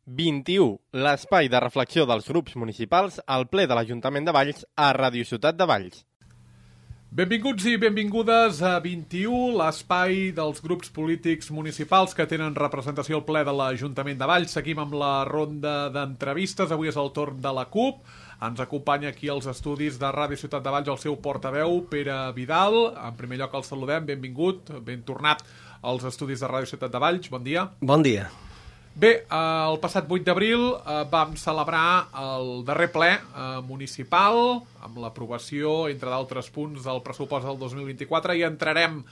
21, l'espai de reflexió dels grups municipals al ple de l'Ajuntament de Valls a Ràdio Ciutat de Valls. Benvinguts i benvingudes a 21, l'espai dels grups polítics municipals que tenen representació al ple de l'Ajuntament de Valls. Seguim amb la ronda d'entrevistes. Avui és el torn de la CUP. Ens acompanya aquí als estudis de Ràdio Ciutat de Valls el seu portaveu, Pere Vidal. En primer lloc el saludem, benvingut, ben tornat als estudis de Ràdio Ciutat de Valls. Bon dia. Bon dia. Bé, el passat 8 d'abril vam celebrar el darrer ple municipal amb l'aprovació, entre d'altres punts, del pressupost del 2024 i entrarem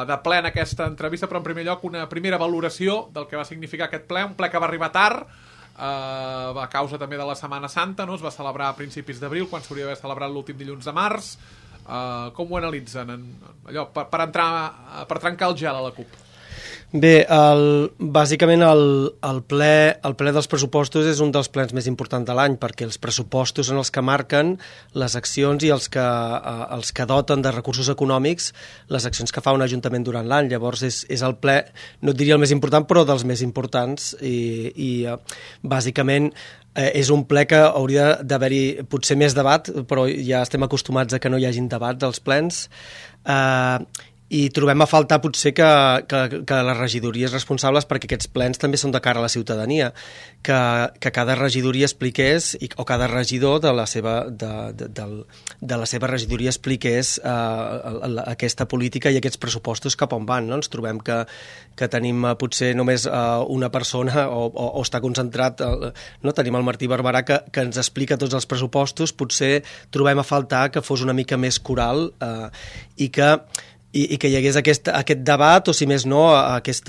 de ple en aquesta entrevista, però en primer lloc una primera valoració del que va significar aquest ple, un ple que va arribar tard, a causa també de la Setmana Santa, no? Es va celebrar a principis d'abril, quan s'hauria d'haver celebrat l'últim dilluns de març. Com ho analitzen? Allò, per trencar el gel a la CUP. Bé, bàsicament el ple dels pressupostos és un dels plens més importants de l'any, perquè els pressupostos són els que marquen les accions i els que doten de recursos econòmics les accions que fa un ajuntament durant l'any. Llavors és el ple, no et diria el més important, però dels més importants i bàsicament és un ple que hauria d'haver-hi potser més debat, però ja estem acostumats a que no hi hagin debats als plens. I trobem a faltar potser que les regidories responsables, perquè aquests plens també són de cara a la ciutadania, que cada regidoria expliqués, o cada regidor de la seva regidoria expliqués aquesta política i aquests pressupostos cap on van. No? Ens trobem que tenim potser només una persona o està concentrat, no? Tenim el Martí Barberà que ens explica tots els pressupostos. Potser trobem a faltar que fos una mica més coral i que hi hagués aquest debat, o si més no, aquest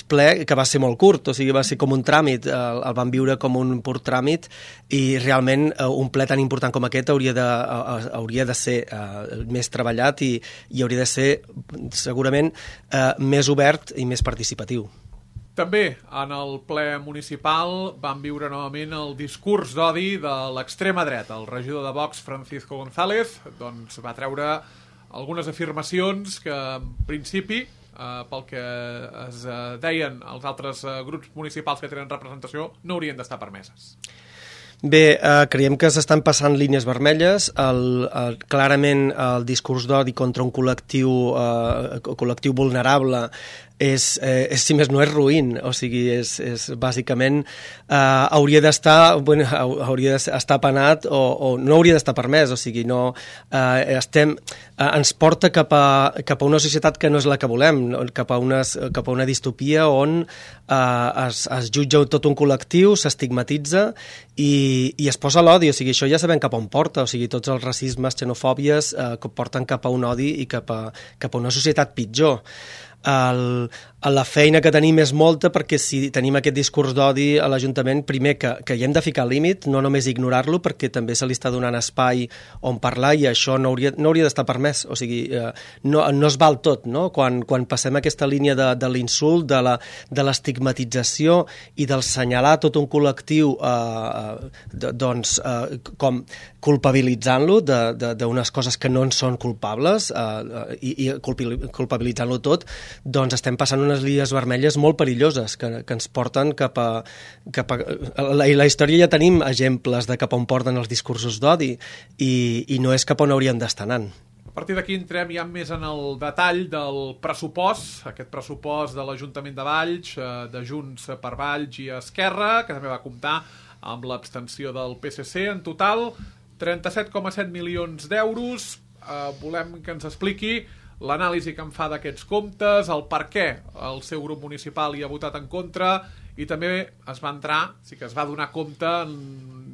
ple, que va ser molt curt, o sigui, va ser com un tràmit, el van viure com un pur tràmit, i realment un ple tan important com aquest hauria de ser més treballat i hauria de ser segurament més obert i més participatiu. També en el ple municipal vam viure novament el discurs d'odi de l'extrema dreta. El regidor de Vox, Francisco González, doncs va treure algunes afirmacions que, en principi, pel que es deien els altres grups municipals que tenen representació, no haurien d'estar permeses. Bé, creiem que s'estan passant línies vermelles. Clarament el discurs d'odi contra un col·lectiu vulnerable si més no és ruïn, o sigui, és bàsicament hauria d'estar penat o no hauria d'estar permès, o sigui, no ens porta cap a una societat que no és la que volem, cap a una distopia on es jutja tot un col·lectiu, s'estigmatitza i es posa l'odi, o sigui, això ja sabem cap on porta, o sigui, tots els racismes, xenofòbies que porten cap a un odi i cap a una societat pitjor. La feina que tenim és molta, perquè si tenim aquest discurs d'odi a l'Ajuntament, primer que hi hem de ficar límit, no només ignorar-lo, perquè també se li està donant espai on parlar i això no hauria d'estar permès, o sigui, no es val tot, no? Quan passem aquesta línia de l'insult, de l'estigmatització i del senyalar tot un col·lectiu com culpabilitzant-lo d'unes coses que no en són culpables i culpabilitzant-lo tot, doncs estem passant unes línies vermelles molt perilloses que ens porten cap a... La història ja tenim exemples de cap on porten els discursos d'odi i no és cap on hauríem d'estar anant. A partir d'aquí entrem ja més en el detall del pressupost, aquest pressupost de l'Ajuntament de Valls, de Junts per Valls i Esquerra, que també va comptar amb l'abstenció del PSC. En total, 37,7 milions d'euros. Volem que ens expliqui l'anàlisi que en fa d'aquests comptes, el per què el seu grup municipal hi ha votat en contra, i també es va donar compte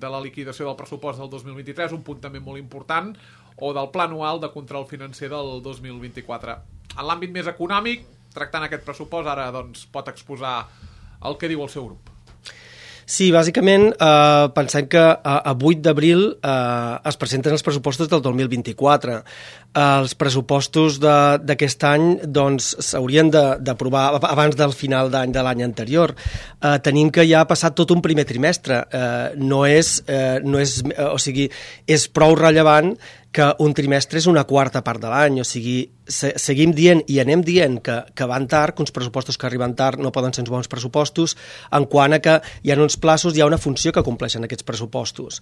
de la liquidació del pressupost del 2023, un punt també molt important, o del pla anual de control financer del 2024. En l'àmbit més econòmic, tractant aquest pressupost, ara doncs, pot exposar el que diu el seu grup. Sí, bàsicament pensem que a 8 d'abril es presenten els pressupostos del 2024. Els pressupostos d'aquest any s'haurien d'aprovar abans del final d'any de l'any anterior. Tenim que ja ha passat tot un primer trimestre. O sigui, és prou rellevant que un trimestre és una quarta part de l'any, o sigui, seguim dient i anem dient que van tard, que uns pressupostos que arriben tard no poden ser uns bons pressupostos, en quant a que hi ha uns plaços, hi ha una funció que compleixen aquests pressupostos.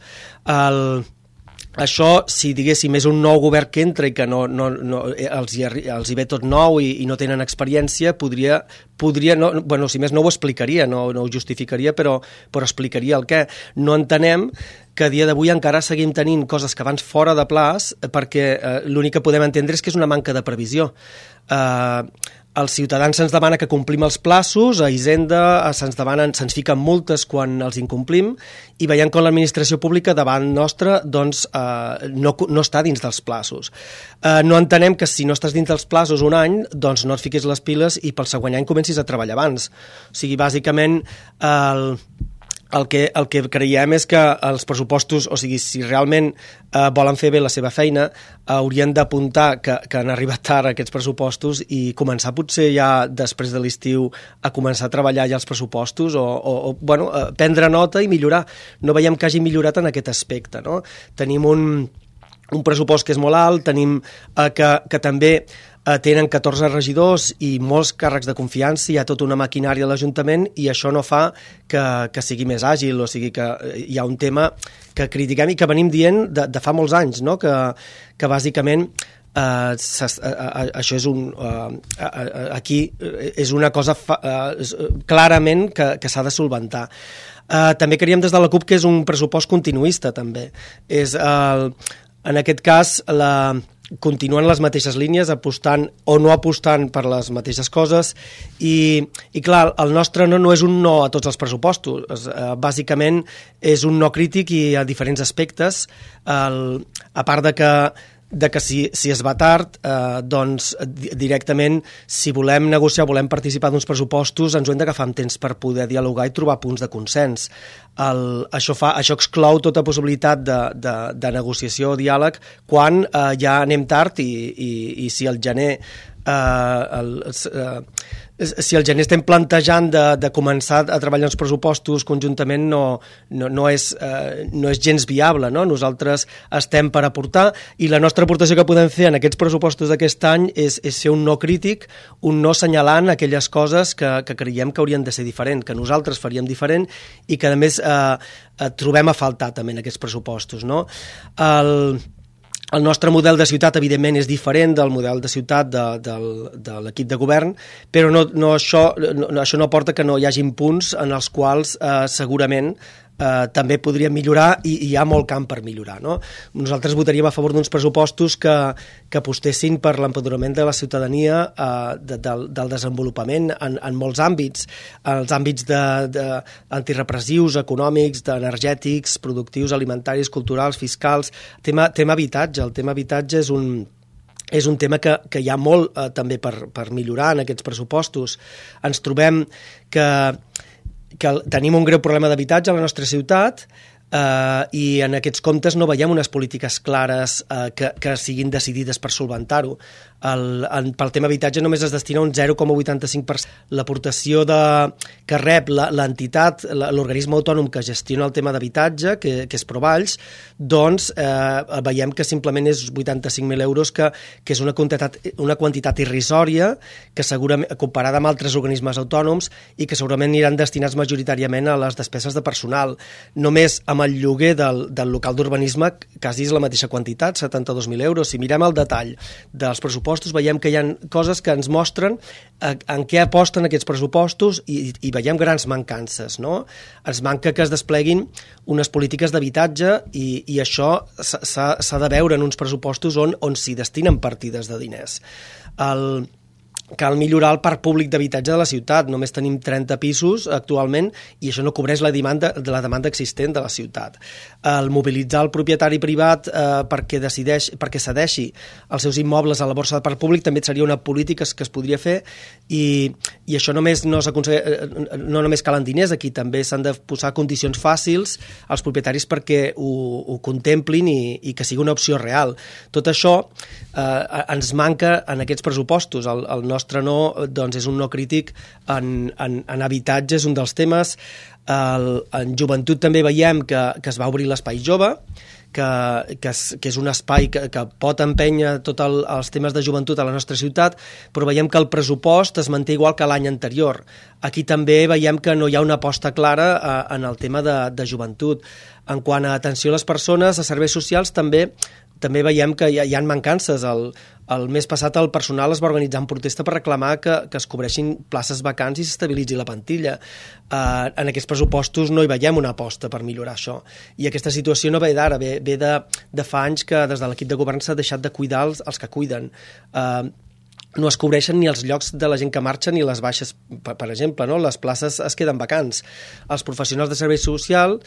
Això, si diguéssim, és un nou govern que entra i que els hi ve tot nou i no tenen experiència, podria si més no ho explicaria, no ho justificaria, però explicaria el què. No entenem que a dia d'avui encara seguim tenint coses que van fora de plaç perquè l'únic que podem entendre és que és una manca de previsió. Els ciutadans se'ns demana que complim els plaços, a Hisenda se'ns fiquen multes quan els incomplim i veiem com l'administració pública davant nostra doncs, no està dins dels plaços. No entenem que si no estàs dins dels plaços un any, doncs no et fiquis les piles i pel següent any comencis a treballar abans. O sigui, bàsicament, el que creiem és que els pressupostos, o sigui, si realment volen fer bé la seva feina, haurien d'apuntar que han arribat tard aquests pressupostos i començar potser ja després de l'estiu a començar a treballar ja els pressupostos o prendre nota i millorar. No veiem que hagi millorat en aquest aspecte, no? Tenim un pressupost que és molt alt, tenim que també tenen 14 regidors i molts càrrecs de confiança, hi ha tota una maquinària a l'Ajuntament i això no fa que sigui més àgil, o sigui que hi ha un tema que critiquem i que venim dient de fa molts anys, no? Que bàsicament això és aquí és una cosa clarament que s'ha de solventar. També creiem des de la CUP que és un pressupost continuista també. En aquest cas continuen les mateixes línies, apostant o no apostant per les mateixes coses i clar, el nostre no és un no a tots els pressupostos, bàsicament és un no crític i a diferents aspectes, a part de que si es va tard, doncs directament si volem negociar, volem participar d'uns pressupostos, ens ho hem d'agafar amb temps per poder dialogar i trobar punts de consens. Això exclou tota possibilitat de negociació o diàleg quan ja anem tard i si al gener estem plantejant de començar a treballar els pressupostos conjuntament no és gens viable, no? Nosaltres estem per aportar i la nostra aportació que podem fer en aquests pressupostos d'aquest any és ser un no crític, un no assenyalant aquelles coses que creiem que haurien de ser diferent, que nosaltres faríem diferent i que a més trobem a faltar també en aquests pressupostos, no? El nostre model de ciutat, evidentment, és diferent del model de ciutat de l'equip de govern, però això no porta que no hi hagin punts en els quals segurament també podríem millorar i hi ha molt camp per millorar, no? Nosaltres votaríem a favor d'uns pressupostos que apostessin per l'empoderament de la ciutadania, del desenvolupament en molts àmbits, els àmbits antirepressius, econòmics, energètics, productius, alimentaris, culturals, fiscals, tema habitatge. El tema habitatge és un tema que hi ha molt també per millorar en aquests pressupostos. Ens trobem que tenim un greu problema d'habitatge a la nostra ciutat i en aquests comptes no veiem unes polítiques clares que siguin decidides per solventar-ho. Pel tema habitatge només es destina un 0,85%. L'aportació que rep l'entitat, l'organisme autònom que gestiona el tema d'habitatge, que és Provalls, doncs veiem que simplement és 85.000 euros, que és una quantitat irrisòria, que segurament, comparada amb altres organismes autònoms, i que segurament aniran destinats majoritàriament a les despeses de personal. Només amb el lloguer del local d'urbanisme quasi és la mateixa quantitat, 72.000 euros. Si mirem el detall dels pressupostos, veiem que hi ha coses que ens mostren en què aposten aquests pressupostos i veiem grans mancances, no? Ens manca que es despleguin unes polítiques d'habitatge i això s'ha de veure en uns pressupostos on s'hi destinen partides de diners. Cal millorar el parc públic d'habitatge de la ciutat. Només tenim 30 pisos actualment i això no cobreix la demanda existent de la ciutat. El mobilitzar el propietari privat perquè cedeixi els seus immobles a la borsa de parc públic també seria una política que es podria fer i això no només calen diners, aquí també s'han de posar condicions fàcils als propietaris perquè ho contemplin i que sigui una opció real. Tot això ens manca en aquests pressupostos. El nostre no doncs és un no crític en habitatge, és un dels temes. En joventut també veiem que es va obrir l'espai jove, que és un espai que pot empènyer tots els temes de joventut a la nostra ciutat, però veiem que el pressupost es manté igual que l'any anterior. Aquí també veiem que no hi ha una aposta clara en el tema de joventut. En quant a atenció a les persones, a serveis socials, també veiem que hi ha mancances. El mes passat el personal es va organitzar en protesta per reclamar que es cobreixin places vacants i s'estabilitzi la plantilla. En aquests pressupostos no hi veiem una aposta per millorar això. I aquesta situació no ve d'ara, ve de fa anys que des de l'equip de govern s'ha deixat de cuidar els que cuiden. No es cobreixen ni els llocs de la gent que marxa ni les baixes, per exemple, no? Les places es queden vacants. Els professionals de servei social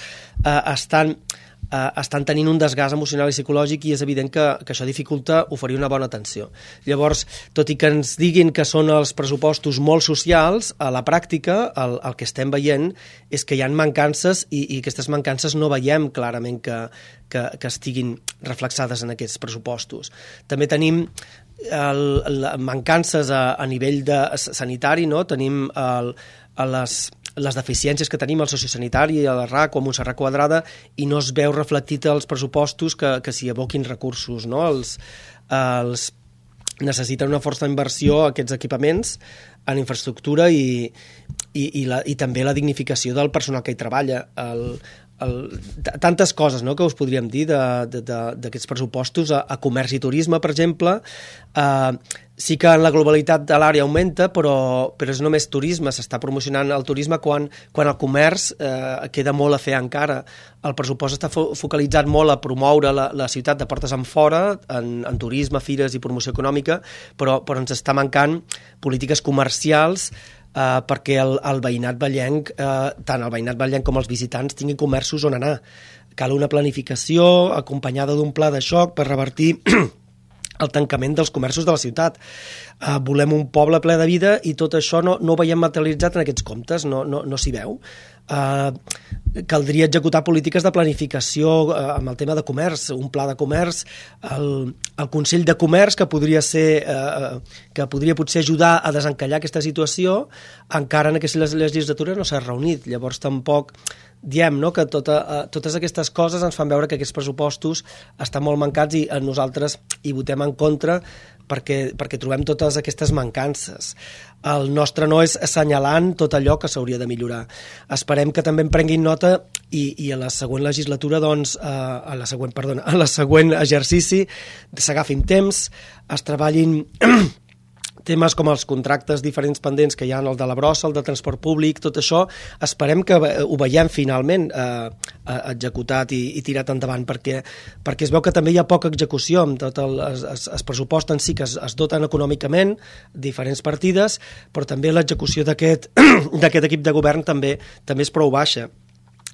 estan tenint un desgast emocional i psicològic i és evident que això dificulta oferir una bona atenció. Llavors, tot i que ens diguin que són els pressupostos molt socials, a la pràctica el que estem veient és que hi ha mancances i aquestes mancances no veiem clarament que estiguin reflexades en aquests pressupostos. També tenim mancances a nivell sanitari, no? Tenim les deficiències que tenim al sociosanitari, a la RAC o a Montserrat Quadrada, i no es veu reflectit als pressupostos que s'hi aboquin recursos, no? Necessiten una força inversió a aquests equipaments en infraestructura i també la dignificació del personal que hi treballa. Tantes coses, no?, que us podríem dir d'aquests pressupostos. A comerç i turisme, per exemple, sí que en la globalitat de l'àrea augmenta, però és només turisme, s'està promocionant el turisme quan el comerç queda molt a fer encara. El pressupost està focalitzat molt a promoure la ciutat de portes enfora, en turisme, fires i promoció econòmica, però ens està mancant polítiques comercials perquè el veïnat vallenc, tant el veïnat vallenc com els visitants, tinguin comerços on anar. Cal una planificació acompanyada d'un pla de xoc per revertir el tancament dels comerços de la ciutat. Volem un poble ple de vida i tot això no ho veiem materialitzat en aquests comptes, no s'hi veu. Caldria executar polítiques de planificació amb el tema de comerç, un pla de comerç, el Consell de Comerç que podria potser ajudar a desencallar aquesta situació, encara en aquesta legislatura no s'ha reunit. Llavors tampoc diem, no?, que totes aquestes coses ens fan veure que aquests pressupostos estan molt mancats i nosaltres hi votem en contra perquè trobem totes aquestes mancances. El nostre no és assenyalant tot allò que s'hauria de millorar. Esperem que també en prenguin nota i a la següent legislatura, doncs, a la següent exercici s'agafin temps, es treballin temes com els contractes diferents pendents que hi ha, el de la brossa, el de transport públic, tot això, esperem que ho veiem finalment executat i tirat endavant, perquè es veu que també hi ha poca execució, amb tot els pressupost en si que es doten econòmicament, diferents partides, però també l'execució d'aquest equip de govern també és prou baixa.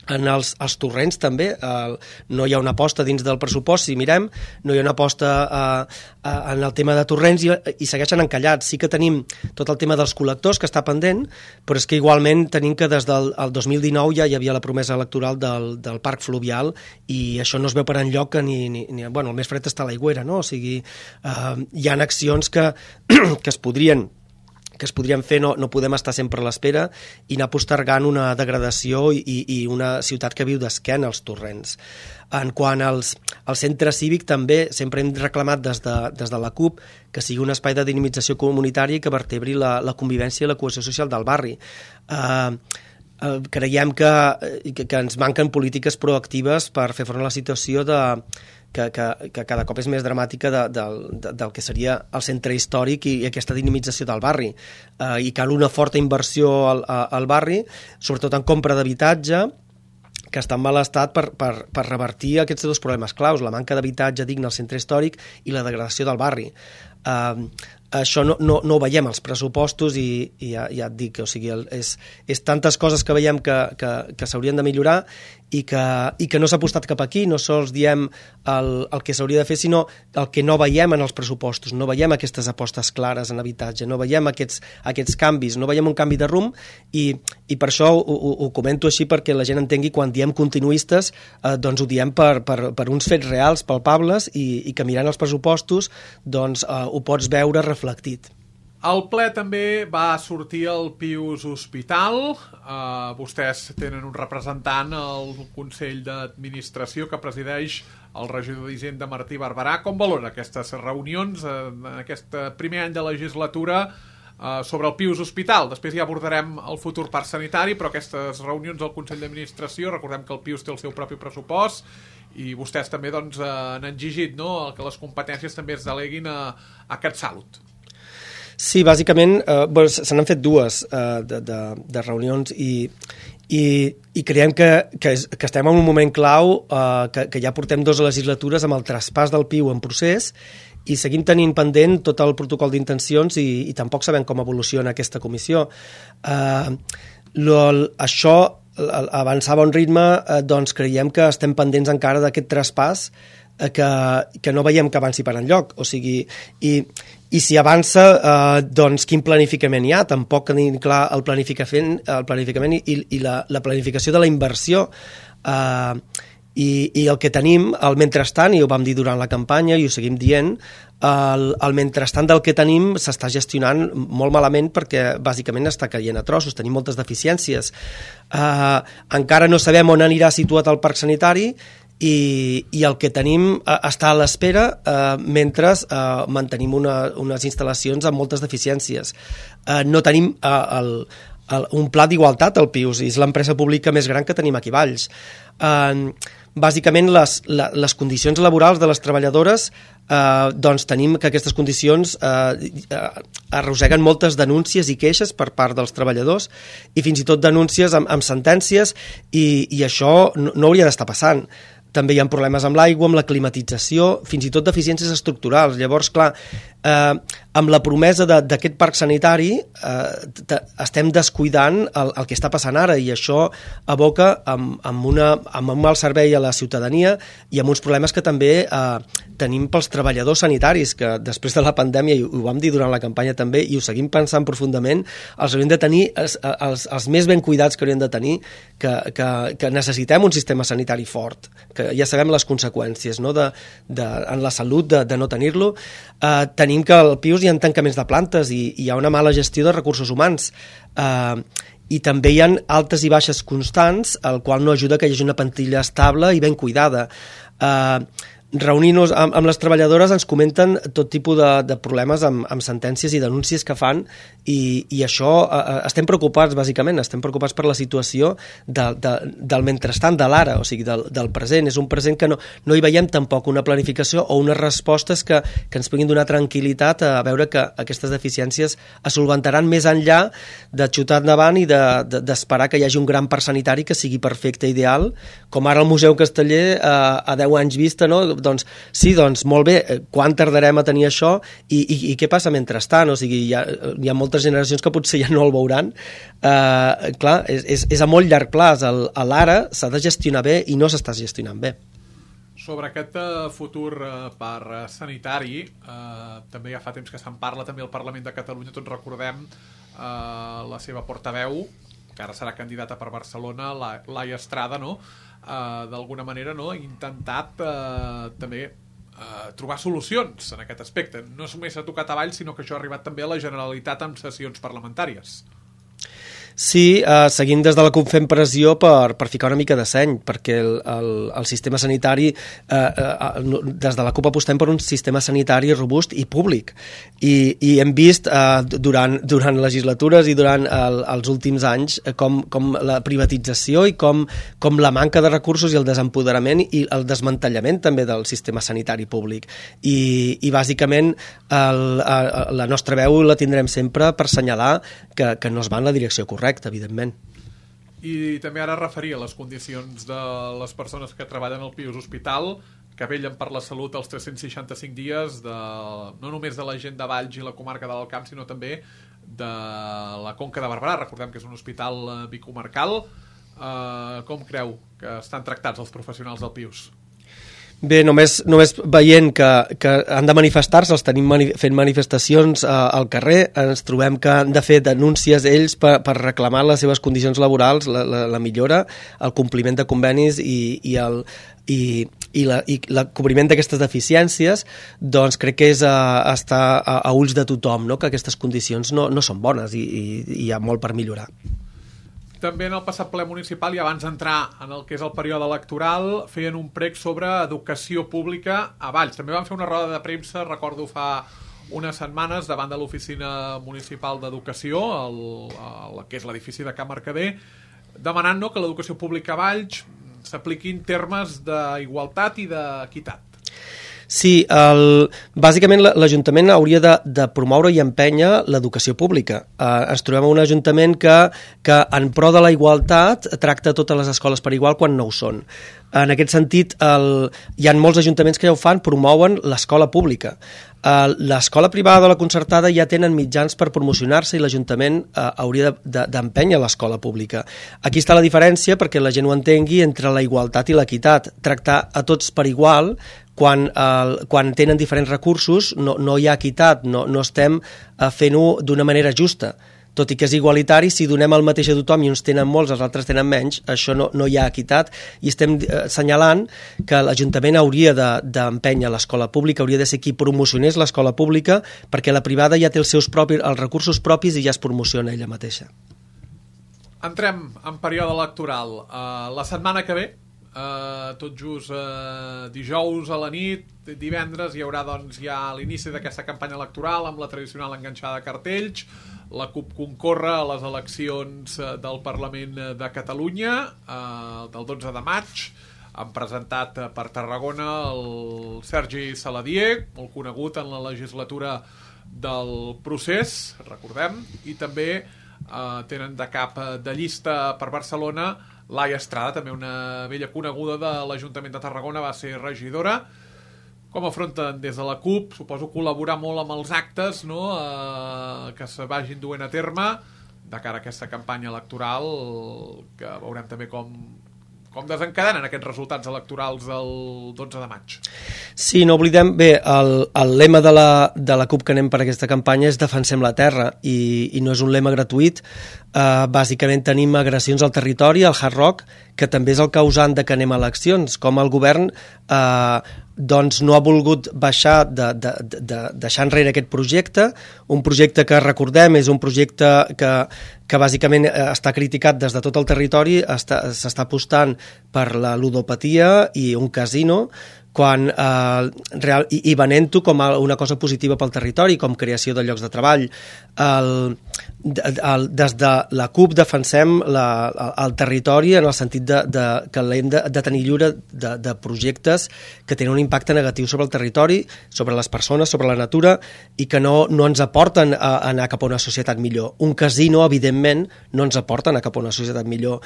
En els torrents també no hi ha una aposta dins del pressupost, si mirem, no hi ha una aposta en el tema de torrents i segueixen encallats. Sí que tenim tot el tema dels col·lectors que està pendent, però és que igualment tenim que des del 2019 ja hi havia la promesa electoral del parc fluvial i això no es veu per enlloc que el més fred està a l'aigüera, no? O sigui, hi ha accions que es podrien fer, no podem estar sempre a l'espera i anar postergant una degradació i una ciutat que viu d'esquena als torrents. En quant al centre cívic, també sempre hem reclamat des de la CUP que sigui un espai de dinamització comunitària que vertebri la convivència i la cohesió social del barri. Creiem que ens manquen polítiques proactives per fer front a la situació que cada cop és més dramàtica del que seria el centre històric i aquesta dinamització del barri. I cal una forta inversió al barri, sobretot en compra d'habitatge, que està en mal estat per revertir aquests dos problemes claus, la manca d'habitatge digne al centre històric i la degradació del barri. Això no ho veiem als pressupostos i ja et dic, o sigui, és tantes coses que veiem que s'haurien de millorar i que no s'ha apostat cap aquí. No sols diem el que s'hauria de fer, sinó el que no veiem en els pressupostos. No veiem aquestes apostes clares en habitatge, no veiem aquests canvis, no veiem un canvi de rumb i per això ho comento així, perquè la gent entengui quan diem continuistes, doncs ho diem per uns fets reals, palpables, i que mirant els pressupostos doncs ho pots veure reflectit. Al ple també va sortir el Pius Hospital. Vostès tenen un representant al Consell d'Administració que presideix el regidor d'Hisenda Martí Barberà. Com valora aquestes reunions en aquest primer any de legislatura sobre el Pius Hospital? Després ja abordarem el futur parc sanitari, però aquestes reunions al Consell d'Administració, recordem que el Pius té el seu propi pressupost i vostès també doncs, han exigit, no?, que les competències també es deleguin a CatSalut. Sí, bàsicament se n'han fet dues de reunions i creiem que estem en un moment clau, que ja portem 2 legislatures amb el traspàs del PIU en procés i seguim tenint pendent tot el protocol d'intencions i tampoc sabem com evoluciona aquesta comissió. Això avançava a un ritme, doncs creiem que estem pendents encara d'aquest traspàs que no veiem que avanci per enlloc, o sigui, i si avança, doncs quin planificament hi ha? Tampoc tenim clar el planificament i la planificació de la inversió, i el que tenim, el mentrestant, i ho vam dir durant la campanya i ho seguim dient, el mentrestant del que tenim s'està gestionant molt malament perquè bàsicament està caient a trossos, tenim moltes deficiències. Encara no sabem on anirà situat el parc sanitari i el que tenim està a l'espera mentre mantenim unes instal·lacions amb moltes deficiències. No tenim un pla d'igualtat al Pius, és l'empresa pública més gran que tenim aquí a Valls. Bàsicament les condicions laborals de les treballadores, doncs tenim que aquestes condicions arrosseguen moltes denúncies i queixes per part dels treballadors i fins i tot denúncies amb sentències i això no hauria d'estar passant. També hi ha problemes amb l'aigua, amb la climatització, fins i tot deficiències estructurals. Llavors, clar, amb la promesa d'aquest parc sanitari estem descuidant el que està passant ara i això aboca amb un mal servei a la ciutadania i amb uns problemes que també tenim pels treballadors sanitaris, que després de la pandèmia, i ho vam dir durant la campanya també, i ho seguim pensant profundament, els hauríem de tenir els més ben cuidats que hauríem de tenir, que necessitem un sistema sanitari fort, que ja sabem les conseqüències, no? En la salut de no tenir-lo. Tenim que al Pius hi ha tancaments de plantes i hi ha una mala gestió de recursos humans i també hi ha altes i baixes constants, el qual no ajuda que hi hagi una plantilla estable i ben cuidada. Reunint-nos amb les treballadores ens comenten tot tipus de problemes amb sentències i denúncies que fan i això estem preocupats, bàsicament, estem preocupats per la situació del mentrestant, de l'ara, o sigui, del present. És un present que no hi veiem tampoc una planificació o unes respostes que ens puguin donar tranquil·litat a veure que aquestes deficiències es solventaran més enllà de xutar endavant i d'esperar que hi hagi un gran parc sanitari que sigui perfecte, ideal, com ara el Museu Casteller a 10 anys vista, no? Doncs sí, doncs molt bé, quan tardarem a tenir això i què passa mentrestant? O sigui, hi ha moltes generacions que potser ja no el veuran. Clar, és a molt llarg plaç. L'ara s'ha de gestionar bé i no s'està gestionant bé. Sobre aquest futur parc sanitari, també ja fa temps que se'n parla també al Parlament de Catalunya, tots recordem la seva portaveu, que ara serà candidata per Barcelona, Laia Estrada, no?, d'alguna manera, no?, ha intentat també trobar solucions en aquest aspecte. No només ha tocat a Valls, sinó que això ha arribat també a la Generalitat amb sessions parlamentàries. Sí, seguim des de la CUP fent pressió per ficar una mica de seny, perquè el sistema sanitari, des de la CUP apostem per un sistema sanitari robust i públic. I hem vist durant legislatures i durant els últims anys com la privatització i com la manca de recursos i el desempoderament i el desmantellament també del sistema sanitari públic. I bàsicament la nostra veu la tindrem sempre per assenyalar que no es va en la direcció correcta, evidentment. I també ara referia a les condicions de les persones que treballen al Pius Hospital, que vellen per la salut els 365 dies, no només de la gent de Valls i la comarca de l'Alt Camp, sinó també de la Conca de Barberà. Recordem que és un hospital bicomarcal. Com creu que estan tractats els professionals del Pius? Bé, només veient que han de manifestar-se, els tenim fent manifestacions al carrer, ens trobem que han de fer denúncies ells per reclamar les seves condicions laborals, la millora, el compliment de convenis i el cobriment d'aquestes deficiències, doncs crec que és estar a ulls de tothom, no? Que aquestes condicions no són bones i hi ha molt per millorar. També en el passat ple municipal, i abans d'entrar en el que és el període electoral, feien un prec sobre educació pública a Valls. També van fer una roda de premsa, recordo fa unes setmanes, davant de l'Oficina Municipal d'Educació, que és l'edifici de Can Mercader, demanant que l'educació pública a Valls s'apliqui en termes d'igualtat i d'equitat. Sí, bàsicament l'Ajuntament hauria de promoure i empènyer l'educació pública. Ens trobem en un Ajuntament que en pro de la igualtat tracta totes les escoles per igual quan no ho són. En aquest sentit, hi ha molts ajuntaments que ja ho fan, promouen l'escola pública. L'escola privada o la concertada ja tenen mitjans per promocionar-se i l'Ajuntament hauria d'empènyer l'escola pública. Aquí està la diferència, perquè la gent ho entengui, entre la igualtat i l'equitat. Tractar a tots per igual, quan tenen diferents recursos, no hi ha equitat, no estem fent-ho d'una manera justa. Tot i que és igualitari, si donem el mateix a tothom i uns tenen molts, els altres tenen menys, això no hi ha equitat, i estem assenyalant que l'Ajuntament hauria d'empènyer l'escola pública, hauria de ser qui promocionés l'escola pública, perquè la privada ja té els recursos propis i ja es promociona ella mateixa. Entrem en període electoral. La setmana que ve, tot just dijous a la nit, divendres, hi haurà ja l'inici d'aquesta campanya electoral amb la tradicional enganxada de cartells. La CUP concorre a les eleccions del Parlament de Catalunya del 12 de maig. Han presentat per Tarragona el Sergi Saladier, molt conegut en la legislatura del procés, recordem, i també tenen de cap de llista per Barcelona Laia Estrada, també una vella coneguda de l'Ajuntament de Tarragona, va ser regidora. Com afronten des de la CUP? Suposo col·laborar molt amb els actes que se vagin duent a terme de cara a aquesta campanya electoral, que veurem també com desencadenen aquests resultats electorals del 12 de maig. Sí, no oblidem, bé, el lema de la CUP que anem per aquesta campanya és Defensem la terra, i no és un lema gratuït. Bàsicament tenim agressions al territori, al Hard Rock, que també és el causant de que anem a eleccions, com el govern doncs no ha volgut deixar enrere aquest projecte, un projecte que, recordem, és un projecte que bàsicament està criticat des de tot el territori, s'està apostant per la ludopatia i un casino, i venent-ho com una cosa positiva pel territori, com creació de llocs de treball. Des de la CUP defensem el territori en el sentit que l'hem de tenir lliure de projectes que tenen un impacte negatiu sobre el territori, sobre les persones, sobre la natura, i que no ens aporten a anar cap a una societat millor. Un casino, evidentment, no ens aporta a anar cap a una societat millor.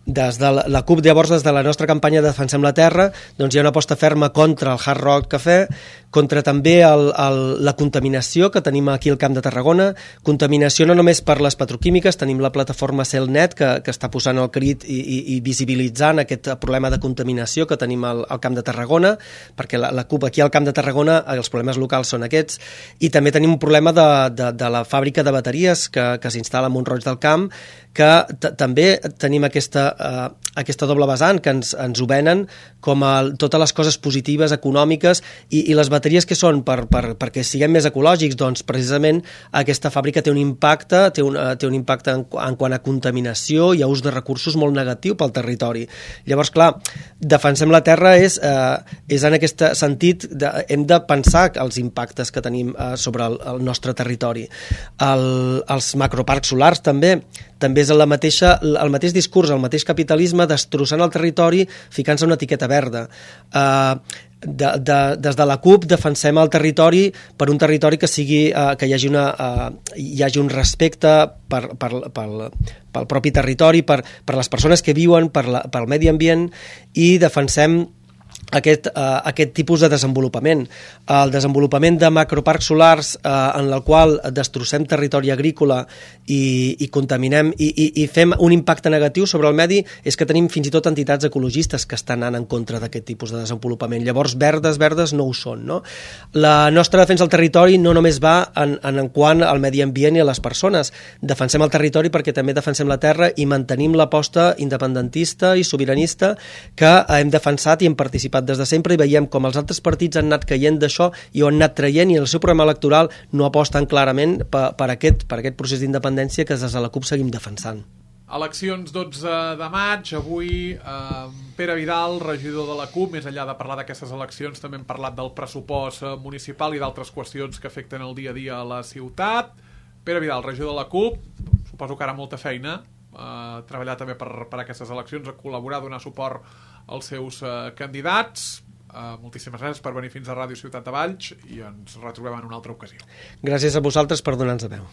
Des de la CUP, llavors, des de la nostra campanya Defensem la terra, doncs hi ha una aposta ferma contra el Hard Rock Cafè, contra també la contaminació que tenim aquí al Camp de Tarragona, contaminació no només per les petroquímiques, tenim la plataforma Celnet que està posant el crit i visibilitzant aquest problema de contaminació que tenim al Camp de Tarragona, perquè la CUP aquí al Camp de Tarragona els problemes locals són aquests, i també tenim un problema de la fàbrica de bateries que s'instal·la a Mont-roig del Camp, que també tenim aquesta doble vessant, que ens ho venen com totes les coses positives, econòmiques, i les bateries que són perquè siguem més ecològics, doncs precisament aquesta fàbrica té un impacte en quant a contaminació i a ús de recursos molt negatiu pel territori. Llavors, clar, Defensem la terra és en aquest sentit, hem de pensar els impactes que tenim sobre el nostre territori. Els macroparcs solars també és el mateix discurs, el mateix capitalisme destrossant el territori, ficant-se una etiqueta verda. Des de la CUP defensem el territori per un territori que hi hagi un respecte pel propi territori, per les persones que viuen, pel medi ambient, i defensem aquest tipus de desenvolupament. El desenvolupament de macroparcs solars en el qual destrossem territori agrícola i contaminem i fem un impacte negatiu sobre el medi és que tenim fins i tot entitats ecologistes que estan anant en contra d'aquest tipus de desenvolupament. Llavors, verdes no ho són, no? La nostra defensa del territori no només va en quant al medi ambient i a les persones. Defensem el territori perquè també defensem la terra i mantenim l'aposta independentista i sobiranista que hem defensat i hem participat des de sempre, i veiem com els altres partits han anat caient d'això i ho han anat traient, i en el seu programa electoral no aposten clarament per aquest procés d'independència que des de la CUP seguim defensant. Eleccions 12 de maig, avui Pere Vidal, regidor de la CUP. Més enllà de parlar d'aquestes eleccions, també hem parlat del pressupost municipal i d'altres qüestions que afecten el dia a dia a la ciutat. Pere Vidal, regidor de la CUP, suposo que ara molta feina, treballar també per aquestes eleccions, a col·laborar, a donar suport als seus candidats. Moltíssimes gràcies per venir fins a Ràdio Ciutat de Valls i ens retrobem en una altra ocasió. Gràcies a vosaltres per donar-nos veu.